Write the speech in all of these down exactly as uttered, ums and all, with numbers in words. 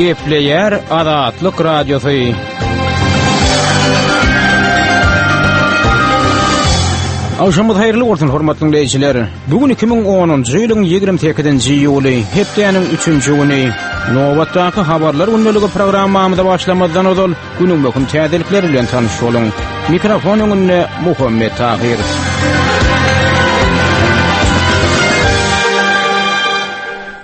Gepleýär Azatlyk Radiosy. Agşamyňyz haýyrly bolsun hormatly dinleýjiler. Bu gün iki müň onunjy ýylyň ýigrimi sekizinji iýuly, hepdäniň üçünji güni. Nobatdaky habarlar gündeligi programmamyza başlamazdan ozal günüň möhüm täzelikleri bilen tanyş boluň. Mikrofon öňünde Muhammet Tahir.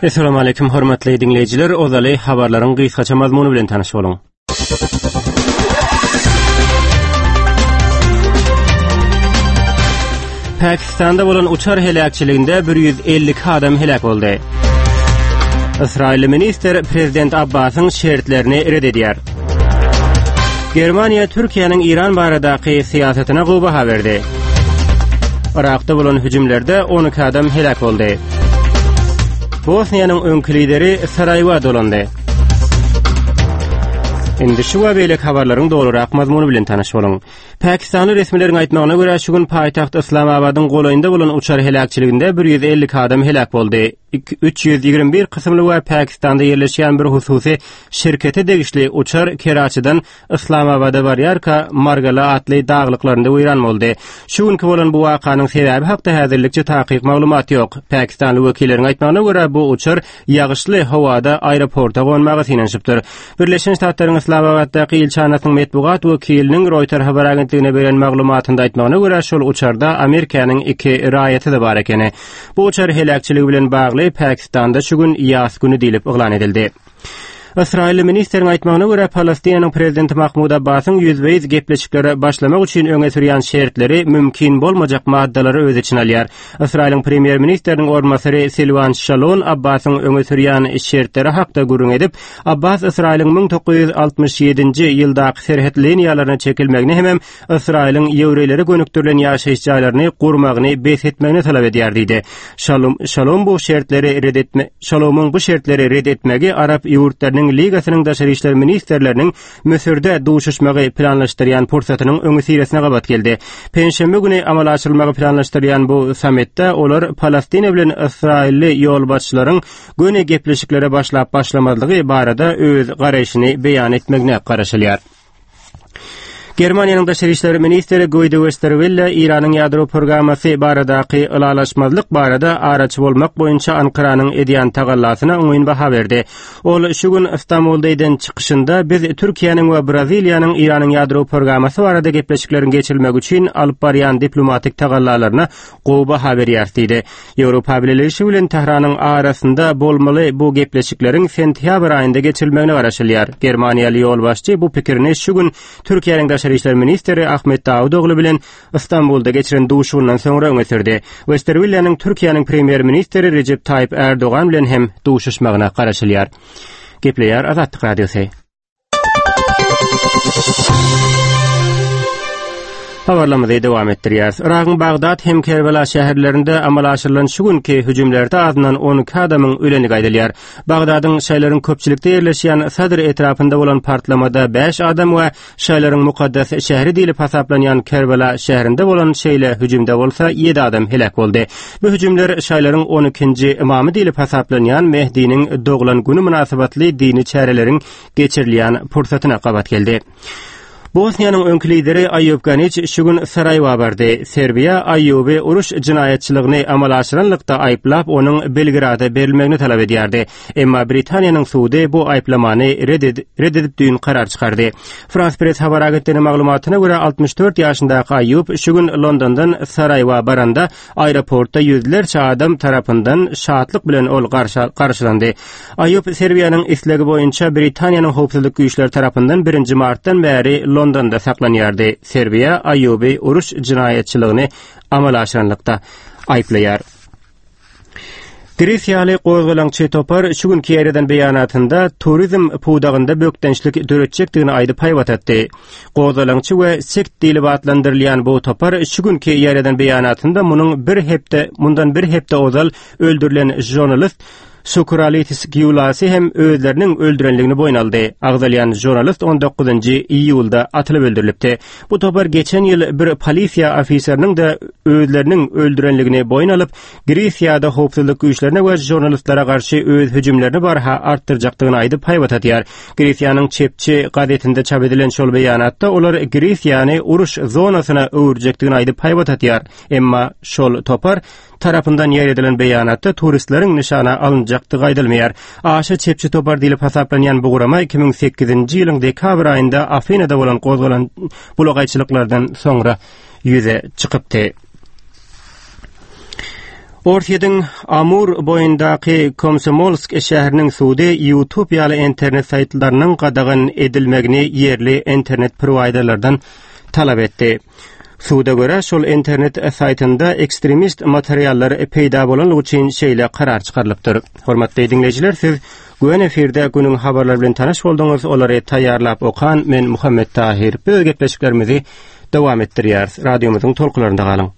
Esselamu aleyküm hormatly dinleýjiler. Ozaly habarlaryň gysgaça mazmuny bilen tanyş boluň. Pakistan'da bolan uçar heläkçiliginde bir ýüz elli iki adam heläk boldy. Ysraýyl ministr Prezident Abbasyň şertlerini red edýär. Germaniýa Türkiýäniň İran baradaky syýasatyna gowy baha berdi. Irakda bolan hüjümlerde on iki adam heläk boldy. Bosniýanyň öňki lideri Saraýewa dolandy. Indi şu we beýleki habarlaryň dolurak mazmuny bilen tanyş boluň. Pakistanly resmileriň aýtmagyna görä, şu gün paýtagt Islamabadyň golaýynda bolan uçar heläkçiliginde bir ýüz elli iki adam heläk boldy. Üç ýüz ýigrimi bir kysymly we Pakistanda ýerleşýän bir hususy şirkete degişli uçar Keraçidan Islamabada barýarka Margala atly daglyklarynda weýran boldy. Şu günki bolan bu wakanyň sebäbi hakda häzirlikçe takyk maglumat ýok. Pakistanly wekilleriň aýtmagyna görä, bu uçar ýagyşly howada aeroporta gonmaga synanyşypdyr. Birleşen Ştatlaryň Islamabaddaky ilçihanasynyň metbugat wekiliniň Reuters habar agentligine beren maglumatynda aýtmagyna görä, şol uçarda Amerikanyň iki raýaty da bar ekeni. Bu uçar heläkçiligi bilen bagly Pakistanda şu gün ýas günü diýlip yglan edildi. Ysraýyl ministeriň aýtmagyna görä, Palestinanyň prezidenti Mahmud Abbasyň ýüzbe-ýüz gepleşiklere başlamak üçin öňe sürýän şertleri mümkin bolmajak maddalary öz içine alýar. Ysraýylyň premýer-ministriniň orunbasary Silwan Şalon Abbasyň öňe sürýän şertleri hakda gürrüň edip, Abbas Ysraýylyň müň dokuz ýüz altmyş ýedinji ýyldaky serhet liniýalaryna çekilmegini hem Ysraýylyň ýewreýlere gönükdirilen ýaşaýyş jaýlaryny gurmagyny bes etmegini talap edýär diýdi. Şalom, Şalom bu şertleri red etme, Şalomyň bu şertleri red etmegi Arap ýurtlarynyň Ligasynyň daşary işler ministrleriniň Müsürde duşuşmagy planlaşdyrýan pursatynyň öňüsyrasyna gabat geldi. Penşenbe güni amala aşyrylmagy planlaşdyrýan bu sammitde olar Palestina bilen Ysraýylly ýolbaşçylaryň göni gepleşiklere başlap başlamazlygy barada öz garaýşyny beýan etmegine garaşylýar. Germaniýanyň daşary işler ministri Guido Westerwelle İranyň ýadro programmasy baradaky ylalaşmazlyk barada araçy bolmak boýunça Ankaranyň edýän tagallasyna oňyn baha berdi. Ol şu gün İstanbulda eden çykyşynda biz Türkiýäniň we Braziliýanyň İranyň ýadro programmasy barada gepleşikleriň geçirilmegi üçin alyp barýan diplomatik tagallalaryna gowy baha berýär diýdi. Ýewropa Bileleşigi bilen Tähranyň arasynda bolmaly bu gepleşikleriň sentýabr aýynda geçirilmegine garaşylýar. Germaniýaly ýolbaşçy bu pikirini şu gün Türkiýäniň daşary işler ministri Ahmet Dawudoğlu bilen İstanbulda geçiren duşuşygyndan soňra öňe sürdi. Westerwilleniň Türkiýäniň premýer-ministri Recep Tayyip Erdogan bilen hem duşuşmagyna garaşylýar. Gepleýär Azatlyk Radiosy. Habarlarymyzy dowam etdirýäris. Iragyň Bagdat hem Kerbela şäherlerinde amala aşyrylan şu günki hüjümlerde azyndan on iki adamyň öleni gaýdylýar. Bagdadyň şäherleriň köpçülikde ýerleşýän Sadr etrapynda bolan partlamada bäş adam we şäherleriň mukaddes şäheri diýlip hasaplanýan Kerbela şäherinde bolan şeýle hüjümde bolsa ýedi adam heläk boldy. Bu hüjümler şäherleriň on ikinji imamy diýlip hasaplanýan Mehdiniň doglan günü mynasybatly dini çäreleriň geçirilýän pursatyna gabat geldi. Bosniýanyň öňki lideri Aýub Ganiç şu gün Saraýewa bardy. Serbiýa Aýuby uruş jinaýatçylygyny amala aşyranlykda aýyplap, onuň Belgrada berilmegini talap edýärdi. Emma Britaniýanyň sudy bu aýyplamany red ed-, red edip düýn karar çykardy. Frans Press habar agentliginiň maglumatyna görä, altmyş dört ýaşyndaky Aýub şu gün Londondan Saraýewa baranda aeroportda ýüzlerçe adam tarapyndan şatlyk bilen ol garşa-, garşylandy. Aýub Serbiýanyň islegi boýunça Britaniýanyň howpsuzlyk güýçleri tarapyndan birinji martdan bäri Londonda saklanýardy. Serbiýa Aýuby uruş jinaýatçylygyny amala aşyranlykda aýyplaýar. Gresiýaly gozgalaňçy topar şu günki ýerden beýanatynda turizm pudagynda bökdençlik döretjekdigini aýdyp haýbat etdi. Gozgalaňçy we sekt diýlip atlandyrylýan bu topar şu günki ýerden beýanatynda munuň bir hepde, mundan bir hepde ozal öldürilen jurnalist Sukuralitis Giulasy hem özleriniň öldürenligini boýun aldy. Agzalýan žurnalist on dokuzynjy iýulda atylyp öldürilipdi. Bu topar geçen ýyl bir polisiýa ofiseriniň-de özleriniň öldürenligini boýun alyp, Gresiýada howpsuzlyk güýçlerine we žurnalistlere garşy öz hüjümlerini barha artdyrjakdygyny aýdyp haýbat atýar. Gresiýanyň çepçi gazetinde çap edilen şol beýanatda olar Gresiýany uruş zonasyna öwürjekdigini aýdyp haýbat atýar. Emma şol topar tarapyndan ýaýradylan beýanatda turistleriň nyşana alynjakdygy aýdylmaýar. Aşa çepçi topar diýlip hasaplanýan bu gurama iki müň sekizinji ýylyň dekabr aýynda Afinada bolan gozgalan bulagaýçylyklardan soňra ýüze çykypdy. Orsýetiň Amur boýundaky Komsomolsk şäheriniň sudy YouTube ýaly internet saýtlarynyň gadagan edilmegini ýerli internet prowaýderlerden talap etdi. Suda görä şol internet saýtynda ekstremist materiallar peýda bolanlygy üçin şeýle karar çykarylypdyr. Hormatly diňleýjiler, siz Göni efirde günüň habarlary bilen tanyş bolduňyz. Olary taýýarlap okan men Muhammet Tahir. Biz gepleşiklerimizi dowam etdirýäris. Radiomyzyň tolkunlarynda galyň.